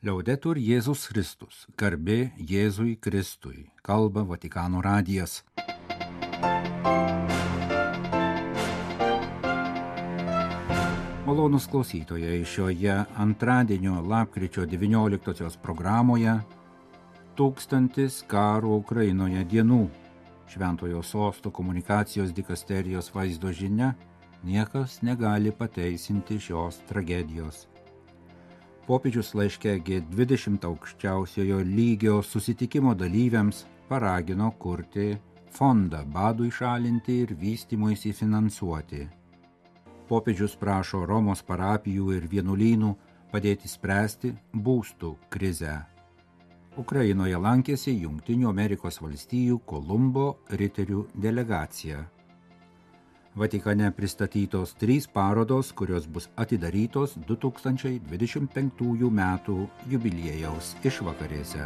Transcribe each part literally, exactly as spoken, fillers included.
Liaudetur Jėzus Kristus, garbė Jėzui Kristui, kalba Vatikano radijas. Malonūs klausytojai, šioje antradienio lapkričio devynioliktosios programoje tūkstantis karo Ukrainoje dienų. Šventojo sosto komunikacijos dikasterijos vaizdo žinia, niekas negali pateisinti šios tragedijos. Popiežius laiške G dvidešimt aukščiausiojo lygio susitikimo dalyviams paragino kurti fondą badui šalinti ir vystymuisi finansuoti. Popiežius prašo Romos parapijų ir vienuolynų padėti spręsti būstų krizę. Ukrainoje lankėsi Jungtinių Amerikos valstijų Kolumbo riterių delegacija. Vatikane pristatytos trys parodos, kurios bus atidarytos du tūkstančiai dvidešimt penktųjų metų jubiliejaus išvakarėse.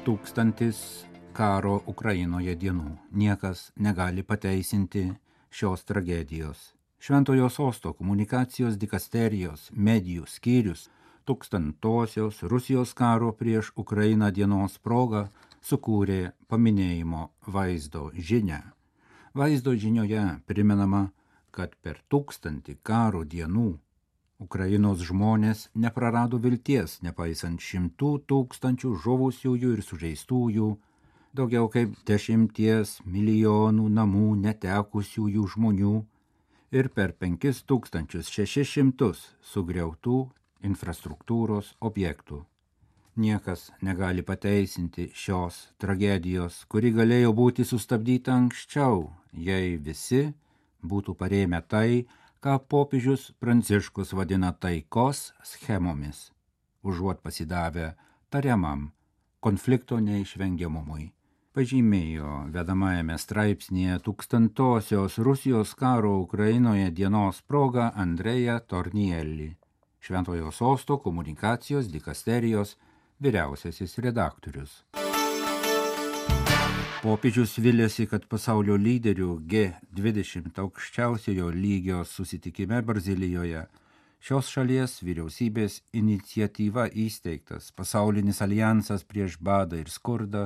Tūkstantis karo Ukrainoje dienų. Niekas negali pateisinti šios tragedijos. Šventojo sosto komunikacijos dikasterijos medijų skyrius tūkstantosios Rusijos karo prieš Ukrainą dienos proga sukūrė paminėjimo vaizdo žinią. Vaizdo žinioje primenama, kad per tūkstantį karo dienų Ukrainos žmonės neprarado vilties, nepaisant šimtų tūkstančių žuvusiųjų ir sužeistųjų, daugiau kaip dešimties milijonų namų netekusiųjų žmonių ir per penkis tūkstančius šešis šimtus sugriautų infrastruktūros objektų. Niekas negali pateisinti šios tragedijos, kuri galėjo būti sustabdyta anksčiau, jei visi būtų parėmę tai, ką popiežius Pranciškus vadina taikos schemomis, užuot pasidavę tariamam konflikto neišvengiamumui. Pažymėjo vedamajame straipsnėje tūkstantosios Rusijos karo Ukrainoje dienos proga Andreja Tornielli, Šventojo sosto komunikacijos dikasterijos vyriausiasis redaktorius. Popiežius vilėsi, kad pasaulio lyderių G dvidešimt aukščiausiojo lygio susitikime Brazilijoje šios šalies vyriausybės iniciatyva įsteigtas pasaulinis alijansas prieš badą ir skurdą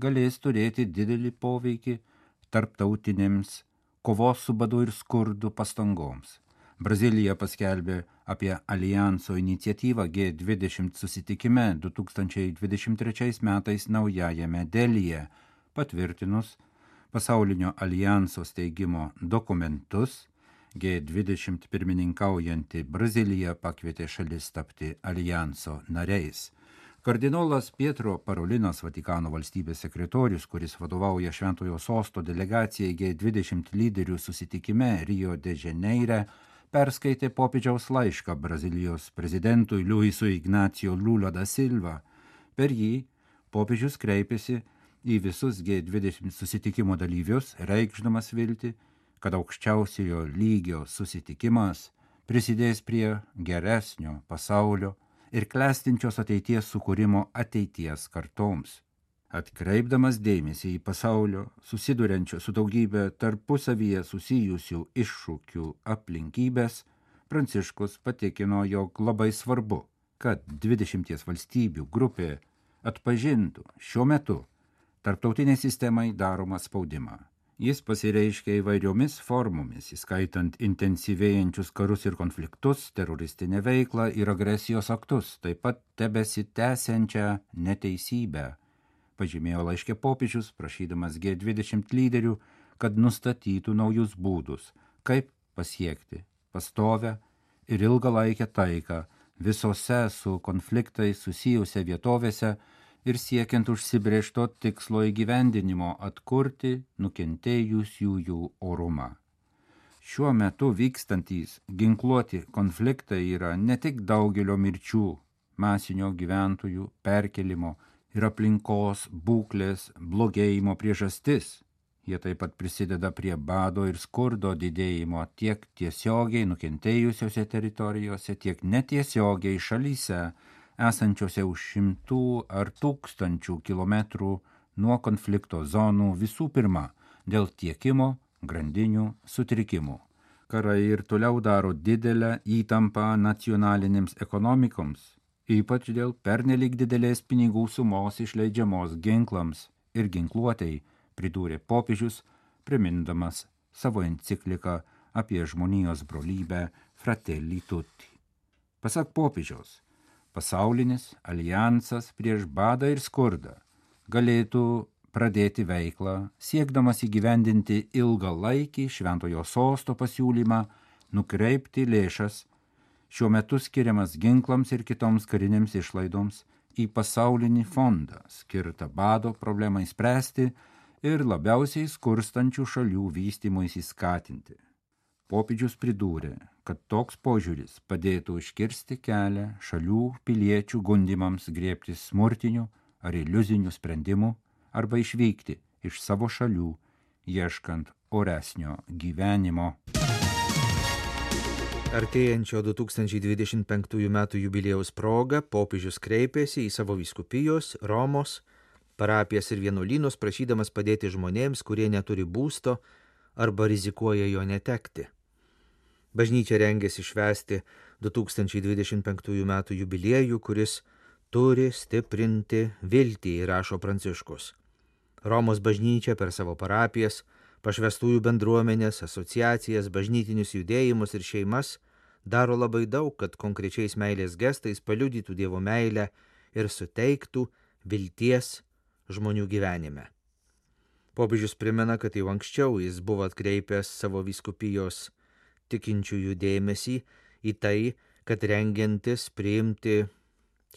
galės turėti didelį poveikį tarptautinėms kovos su badu ir skurdu pastangoms. Brazilija paskelbė apie alijanso iniciatyvą G dvidešimt susitikime du tūkstančiai dvidešimt trečiais metais naujajame Delyje, patvirtinus pasaulinio alijanso steigimo dokumentus. G dvidešimt pirmininkaujanti Brazilija pakvietė šalis tapti alijanso nariais. Kardinolas Pietro Parolinas, Vatikano valstybės sekretorius, kuris vadovauja Šventojo sosto delegacijai G dvidešimt lyderių susitikime Rio de Žaneire, perskaitė popiežiaus laišką Brazilijos prezidentui Luisui Ignacio Lula da Silva. Per jį popiežius kreipėsi į visus G dvidešimt susitikimo dalyvius, reikšdamas viltį, kad aukščiausiojo lygio susitikimas prisidės prie geresnio pasaulio ir klestinčios ateities sukūrimo ateities kartoms. Atkreipdamas dėmesį į pasaulio susiduriančio su daugybė tarpusavyje susijusių iššūkių aplinkybės, Pranciškus patikino, jog labai svarbu, kad dvidešimties valstybių grupė atpažintų šiuo metu tarptautinei sistemai daromą spaudimą. Jis pasireiškia įvairiomis formomis, įskaitant intensyvėjančius karus ir konfliktus, teroristinę veiklą ir agresijos aktus, taip pat tebesitęsiančią neteisybę. Pažymėjo laiške popiežius, prašydamas G dvidešimt lyderių, kad nustatytų naujus būdus, kaip pasiekti pastovią ir ilgalaikę taiką visose su konfliktai susijusiose vietovėse ir siekiant užsibrėžto tikslo įgyvendinimo atkurti nukentėjusiųjų orumą. Šiuo metu vykstantys ginkluoti konfliktai yra ne tik daugelio mirčių, masinio gyventojų perkelimo ir aplinkos būklės blogėjimo priežastis. Jie taip pat prisideda prie bado ir skurdo didėjimo tiek tiesiogiai nukentėjusiose teritorijose, tiek netiesiogiai šalyse, esančiose už šimtų ar tūkstančių kilometrų nuo konflikto zonų, visų pirma dėl tiekimo grandinių sutrikimų. Karai ir toliau daro didelę įtampą nacionalinėms ekonomikoms, ypač dėl pernelyg didelės pinigų sumos išleidžiamos ginklams ir ginkluotei, pridūrė popiežius, primindamas savo encikliką apie žmonijos brolybę Fratelli Tutti. Pasak popiežiaus, pasaulinis alijansas prieš badą ir skurdą galėtų pradėti veiklą, siekdamas įgyvendinti ilgalaikį šventojo sosto pasiūlymą nukreipti lėšas šiuo metu skiriamas ginklams ir kitoms karinėms išlaidoms į pasaulinį fondą, skirtą bado problemai spręsti ir labiausiai skurstančių šalių vystymuisi skatinti. Popiežius pridūrė, kad toks požiūris padėtų užkirsti kelią šalių piliečių gundymams griebtis smurtinių ar iliuzinių sprendimų arba išvykti iš savo šalių, ieškant oresnio gyvenimo. Artėjančio du tūkstančiai dvidešimt penktųjų metų jubiliejaus proga popiežius kreipėsi į savo vyskupijos, Romos, parapijas ir vienuolynus, prašydamas padėti žmonėms, kurie neturi būsto arba rizikuoja jo netekti. Bažnyčia rengiasi švęsti du tūkstančiai dvidešimt penktųjų metų jubiliejų, kuris turi stiprinti viltį, rašo Pranciškus. Romos bažnyčia per savo parapijas, pašvestųjų bendruomenės, asociacijas, bažnytinius judėjimus ir šeimas daro labai daug, kad konkrečiais meilės gestais paliudytų Dievo meilę ir suteiktų vilties žmonių gyvenime. Popiežius primena, kad jau anksčiau jis buvo atkreipęs savo vyskupijos tikinčiųjų dėmesį į tai, kad rengiantis priimti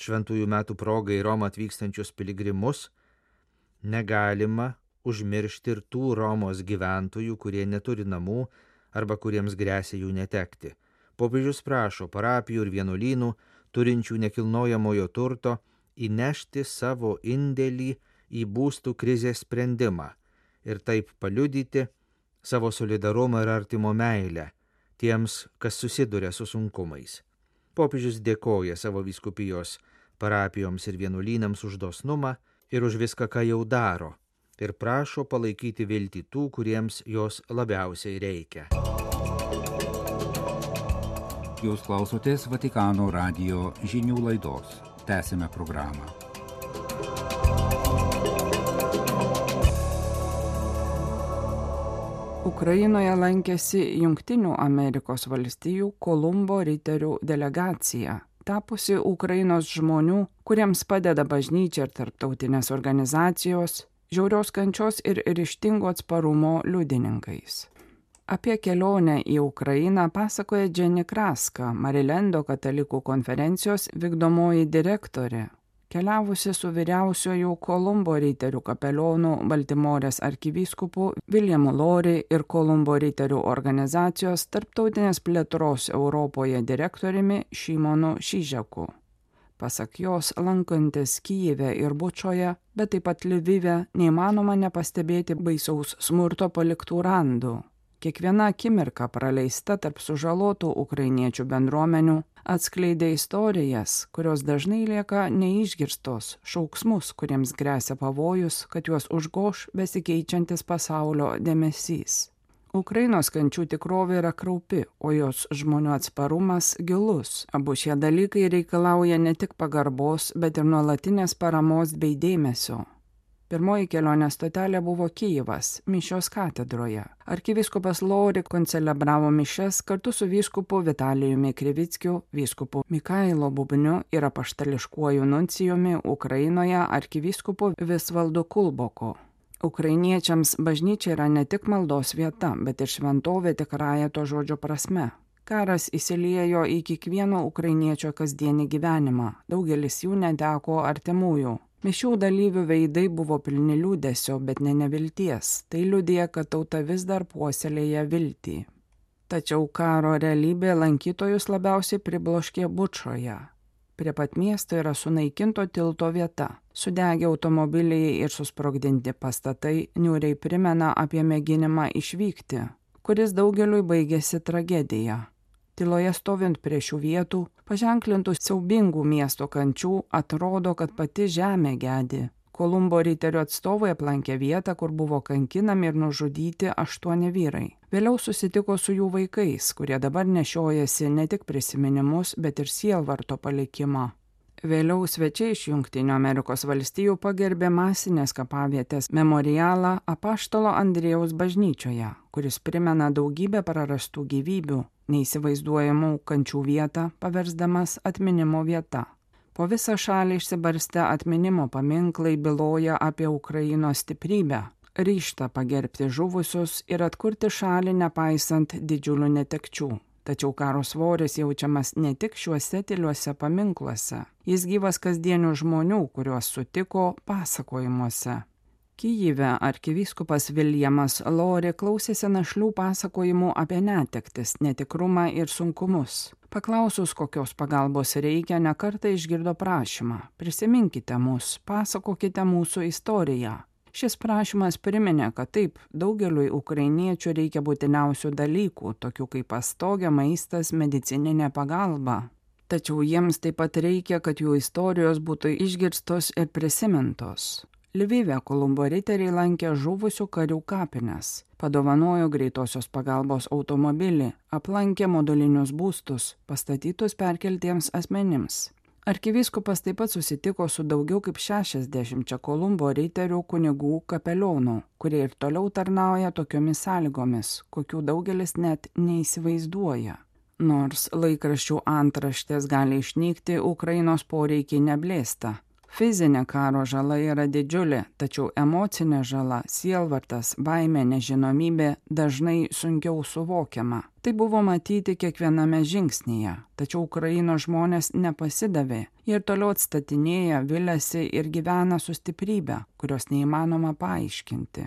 šventųjų metų progai į Romą atvykstančius piligrimus, negalima užmiršti ir tų Romos gyventojų, kurie neturi namų arba kuriems gresia jų netekti. Popiežius prašo parapijų ir vienuolynų, turinčių nekilnojamojo turto, įnešti savo indėlį į būstų krizės sprendimą ir taip paliudyti savo solidarumą ir artimo meilę tiems, kas susiduria su sunkumais. Popiežius dėkoja savo vyskupijos parapijoms ir vienuolynams už dosnumą ir už viską, ką jau daro, ir prašo palaikyti viltį tų, kuriems jos labiausiai reikia. Jūs klausotės Vatikano radijo žinių laidos. Tęsime programą. Ukrainoje lankėsi Jungtinių Amerikos valstijų Kolumbo riterių delegacija, tapusi Ukrainos žmonių, kuriems padeda bažnyčia ir tarptautinės organizacijos, žiaurios kančios ir ryžtingo atsparumo liudininkais. Apie kelionę į Ukrainą pasakoja Jenny Kraska, Marilendo katalikų konferencijos vykdomoji direktorė, keliavusi su vyriausioju Kolumbo riterių kapelionu Baltimorės arkivyskupu Williamu Lori ir Kolumbo riterių organizacijos tarptautinės plėtros Europoje direktoriumi Šimonu Šižeku. Pasak jos, lankantis Kyjive ir Bučoje, bet taip pat Lvive, neįmanoma nepastebėti baisaus smurto paliktų randų. Kiekviena akimirka praleista tarp sužalotų ukrainiečių bendruomenių atskleidė istorijas, kurios dažnai lieka neišgirstos, šauksmus, kuriems gresia pavojus, kad juos užgoš besikeičiantis pasaulio dėmesys. Ukrainos kančių tikrovė yra kraupi, o jos žmonių atsparumas gilus. Abu šie dalykai reikalauja ne tik pagarbos, bet ir nuolatinės paramos bei dėmesio. Pirmoji kelionės stotelė buvo Kyjivas, mišios katedroje. Arkivyskupas Lori koncelebravo mišias kartu su vyskupu Vitalijumi Krivickiu, vyskupu Mikailo Bubniu ir apaštališkuoju nuncijumi Ukrainoje arkivyskupu Visvaldu Kulboku. Ukrainiečiams bažnyčia yra ne tik maldos vieta, bet ir šventovė tikrąja to žodžio prasme. Karas įsiliejo į kiekvieno ukrainiečio kasdienį gyvenimą, daugelis jų neteko artimųjų. Mišių dalyvių veidai buvo pilni liūdesio, bet ne nevilties. Tai liudija, kad tauta vis dar puoselėja viltį. Tačiau karo realybė lankytojus labiausiai pribloškė Bučoje. Prie pat miesto yra sunaikinto tilto vieta. Sudegę automobiliai ir susprogdinti pastatai niūriai primena apie mėginimą išvykti, kuris daugeliui baigėsi tragedija. Tyloje stovint prie šių vietų, paženklintų siaubingų miesto kančių, atrodo, kad pati žemė gedi. Kolumbo riterių atstovai aplankė vietą, kur buvo kankinami ir nužudyti aštuoni vyrai. Vėliau susitiko su jų vaikais, kurie dabar nešiojasi ne tik prisiminimus, bet ir sielvarto palikimą. Vėliau svečiai iš Jungtinių Amerikos valstijų pagerbė masinės kapavietės memorialą Apaštalo Andriejaus bažnyčioje, kuris primena daugybę prarastų gyvybių, neįsivaizduojamų kančių vietą, paversdamas atminimo vieta. Po visą šalį išsibarstę atminimo paminklai byloja apie Ukrainos stiprybę, ryžtą pagerbti žuvusius ir atkurti šalį nepaisant didžiulių netekčių. Tačiau karo svoris jaučiamas ne tik šiuose tyliuose paminkluose, jis gyvas kasdienių žmonių, kuriuos sutiko pasakojimuose. Kyjive arkivyskupas Viljamas Lori klausėsi našlių pasakojimų apie netektis, netikrumą ir sunkumus. Paklausus, kokios pagalbos reikia, nekartą išgirdo prašymą: prisiminkite mus, pasakokite mūsų istoriją. Šis prašymas priminė, kad taip, daugeliui ukrainiečių reikia būtiniausių dalykų, tokių kaip pastogė, maistas, medicininė pagalba. Tačiau jiems taip pat reikia, kad jų istorijos būtų išgirstos ir prisimintos. Lvive Kolumbo riteriai lankė žuvusių karių kapines, padovanojo greitosios pagalbos automobilį, aplankė modulinius būstus, pastatytus perkeltiems asmenims. Arkivyskupas taip pat susitiko su daugiau kaip šešiasdešimčia Kolumbo riterių kunigų kapelionų, kurie ir toliau tarnauja tokiomis sąlygomis, kokių daugelis net neįsivaizduoja. Nors laikraščių antraštės gali išnykti, Ukrainos poreikiai neblėsta. Fizinė karo žala yra didžiulė, tačiau emocinė žala, sielvartas, baimė, nežinomybė dažnai sunkiau suvokiama. Tai buvo matyti kiekviename žingsnyje, tačiau Ukrainos žmonės nepasidavė ir toliau atstatinėja, viliasi ir gyvena su stiprybe, kurios neįmanoma paaiškinti.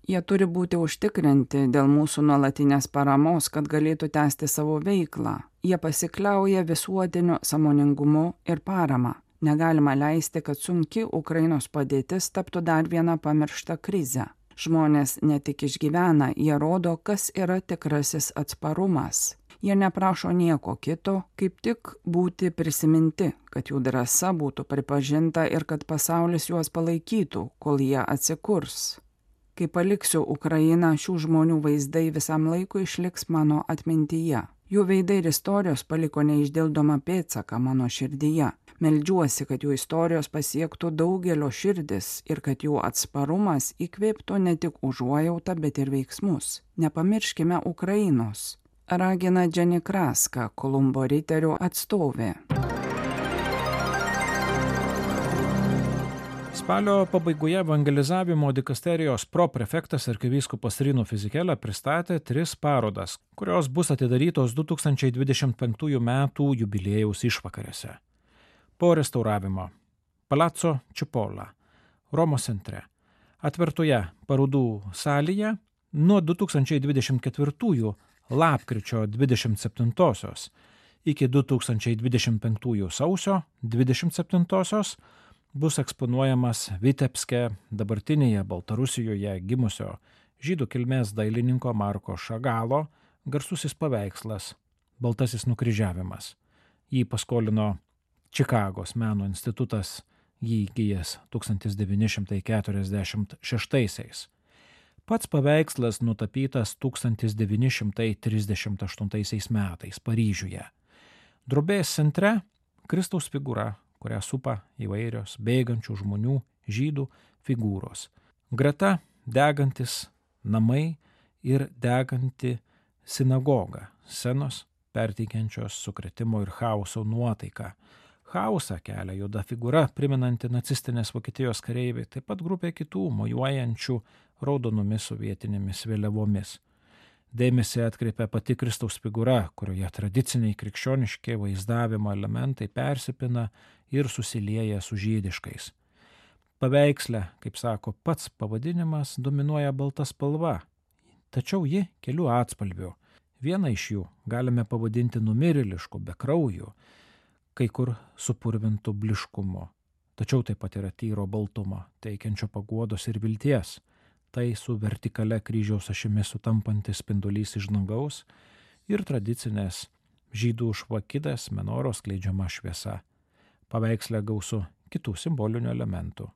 Jie turi būti užtikrinti dėl mūsų nuolatinės paramos, kad galėtų tęsti savo veiklą. Jie pasikliauja visuotiniu sąmoningumu ir parama. Negalima leisti, kad sunki Ukrainos padėtis taptų dar viena pamiršta krize. Žmonės ne tik išgyvena, jie rodo, kas yra tikrasis atsparumas. Jie neprašo nieko kito, kaip tik būti prisiminti, kad jų drąsa būtų pripažinta ir kad pasaulis juos palaikytų, kol jie atsikurs. Kai paliksiu Ukrainą, šių žmonių vaizdai visam laikui išliks mano atmintyje. Jų veidai ir istorijos paliko neišdildomą pėdsaką mano širdyje. Meldžiuosi, kad jų istorijos pasiektų daugelio širdis ir kad jų atsparumas įkvėptų ne tik užuojautą, bet ir veiksmus. Nepamirškime Ukrainos. Ragina Jenny Kraska, Kolumbo riterių atstovė. Spalio pabaigoje evangelizavimo dikasterijos proprefektas arkivyskupas Rino Fisichella pristatė tris parodas, kurios bus atidarytos du tūkstančiai dvidešimt penktųjų metų jubiliejaus išvakarėse. Po restauravimo Palazzo Cipolla, Romos centre, atvertoje parodų salėje nuo du tūkstančiai dvidešimt ketvirtųjų lapkričio dvidešimt septintosios iki du tūkstančiai dvidešimt penktųjų sausio dvidešimt septintosios bus eksponuojamas Vitebske, dabartinėje Baltarusijoje gimusio žydų kilmės dailininko Marko Šagalo garsusis paveikslas Baltasis nukryžiavimas. Jį paskolino Čikagos meno institutas, jį įgijęs tūkstantis devyni šimtai keturiasdešimt šeštaisiais. Pats paveikslas nutapytas tūkstantis devyni šimtai trisdešimt aštuntaisiais metais Paryžiuje. Drobės centre Kristaus figūra, kurią supa įvairios bėgančių žmonių žydų figūros. Greta degantis namai ir deganti sinagoga, scenos perteikiančios sukrėtimo ir chaoso nuotaiką. Chaosą kelia juoda figūra, primenanti nacistinės Vokietijos kareiviai, taip pat grupė kitų mojuojančių raudonomis sovietinėmis vėliavomis. Dėmesį atkreipia pati Kristaus figūra, kurioje tradiciniai krikščioniški vaizdavimo elementai persipina ir susilieja su žydiškais. Paveiksle, kaip sako pats pavadinimas, dominuoja balta spalva, tačiau ji kelių atspalvių. Vieną iš jų galime pavadinti numirėlišku, be kraujų, kai kur supurvintų bliškumu. Tačiau taip pat yra tyro baltumo, teikiančio paguodos ir vilties. Tai su vertikale kryžiaus ašimi sutampantis spindulys iš dangaus ir tradicinės žydų švakidės menoros skleidžiama šviesa. Paveiksle gausu kitų simbolinių elementų.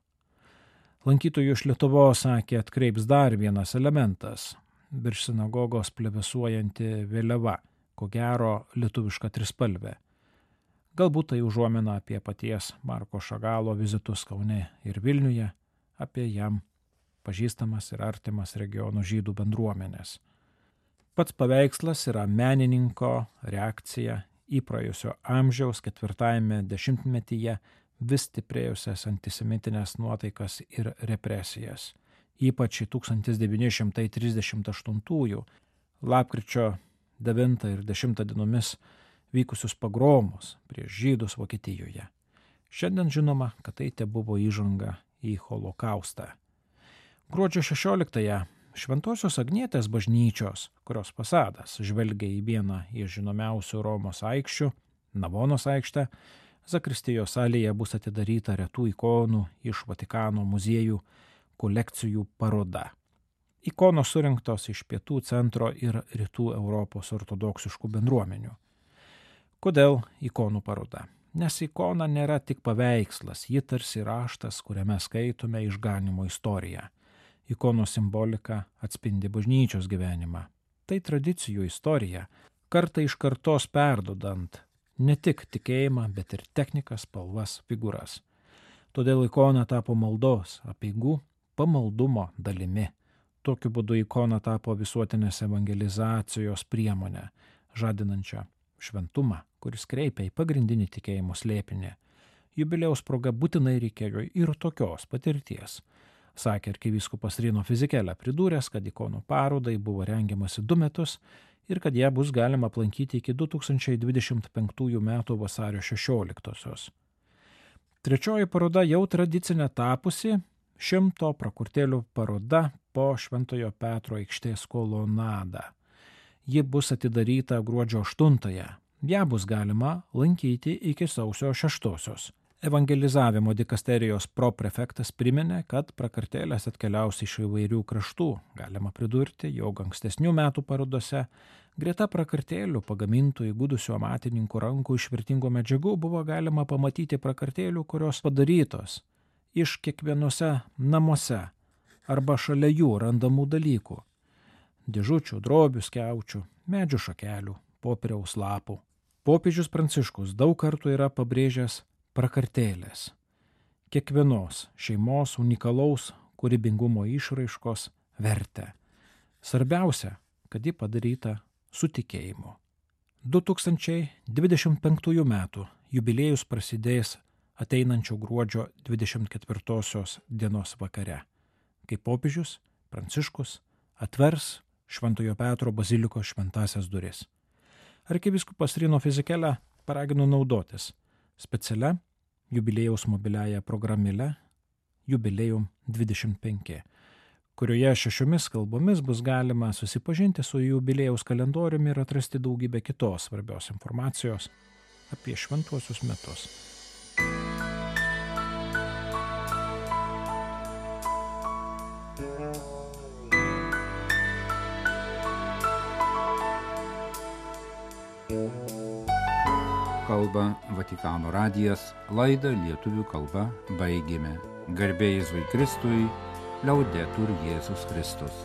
Lankytojų iš Lietuvos sakė atkreips dar vienas elementas. virš sinagogos plevėsuojanti vėliava, ko gero lietuviška trispalvė. Galbūt tai užuomina apie paties Marko Šagalo vizitus Kaune ir Vilniuje, apie jam pažįstamas ir artimas regionų žydų bendruomenės. Pats paveikslas yra menininko reakcija į praėjusio amžiaus ketvirtajame dešimtmetyje vis stiprėjusias antisemitinės nuotaikas ir represijas, ypač į tūkstantis devyni šimtai trisdešimt aštuntųjų lapkričio devintą ir dešimtą dienomis vykusius pogromus prieš žydus Vokietijoje. Šiandien žinoma, kad tai tebuvo įžanga į holokaustą. Gruodžio šešioliktąją Šventosios Agnietės bažnyčios, kurios fasadas žvelgia į vieną iš žinomiausių Romos aikščių, Navonos aikštę, zakristijos salėje bus atidaryta retų ikonų iš Vatikano muziejų kolekcijų paroda. Ikonos surinktos iš pietų, centro ir rytų Europos ortodoksiškų bendruomenių. Kodėl ikonų paroda? Nes ikona nėra tik paveikslas, ji tarsi raštas, kuriame skaitome išganimo istoriją. Ikonos simbolika atspindi bažnyčios gyvenimą. Tai tradicijų istorija, kartą iš kartos perdodant ne tik tikėjimą, bet ir technikas, spalvas, figūras. Todėl ikona tapo maldos, apeigų, pamaldumo dalimi. Tokiu būdu ikona tapo visuotinės evangelizacijos priemonė, žadinančią šventumą, kuris kreipia į pagrindinį tikėjimo slėpinį. Jubiliejaus proga būtinai reikėjo ir tokios patirties, sakė arkivyskupas Rino Fizikėlė, pridūręs, kad ikonų parodai buvo rengiamasi du metus ir kad ją bus galima aplankyti iki du tūkstančiai dvidešimt penktųjų metų vasario šešioliktosios. Trečioji paroda jau tradicinė tapusi šimto prakurtėlių paroda po Šventojo Petro aikštės kolonadą. Ji bus atidaryta gruodžio aštuntąją. Ją bus galima lankyti iki sausio šeštosios. Evangelizavimo dikasterijos proprefektas priminė, kad prakartėlės atkeliaus iš įvairių kraštų. Galima pridurti, jog ankstesnių metų parodose greta prakartėlių pagamintų įgudusių amatininkų rankų iš vertingų medžiagų buvo galima pamatyti prakartėlių, kurios padarytos iš kiekvienose namuose arba šalia jų randamų dalykų – dėžučių, drobių, skiaučių, medžių šakelių, popieriaus lapų. Popiežius Pranciškus daug kartų yra pabrėžęs prakartėlės, kiekvienos šeimos unikalaus kūrybingumo išraiškos vertę. Svarbiausia, kad ji padaryta su tikėjimu. du tūkstančiai dvidešimt penktųjų metų jubiliejus prasidės ateinančio gruodžio dvidešimt ketvirtosios dienos vakare, kai popiežius Pranciškus atvers Šventojo Petro bazilikos šventąsias duris. Arkivyskupas Rino Fizikėlė paragino naudotis specialia jubiliejaus mobiliaja programėle Jubiliejum dvidešimt penki, kurioje šešiomis kalbomis bus galima susipažinti su jubiliejaus kalendoriumi ir atrasti daugybę kitos svarbios informacijos apie šventuosius metus. Kalba Vatikano radijas, laidą lietuvių kalba baigėme. Garbė Jėzui Kristui, liaudetur Jėzus Kristus.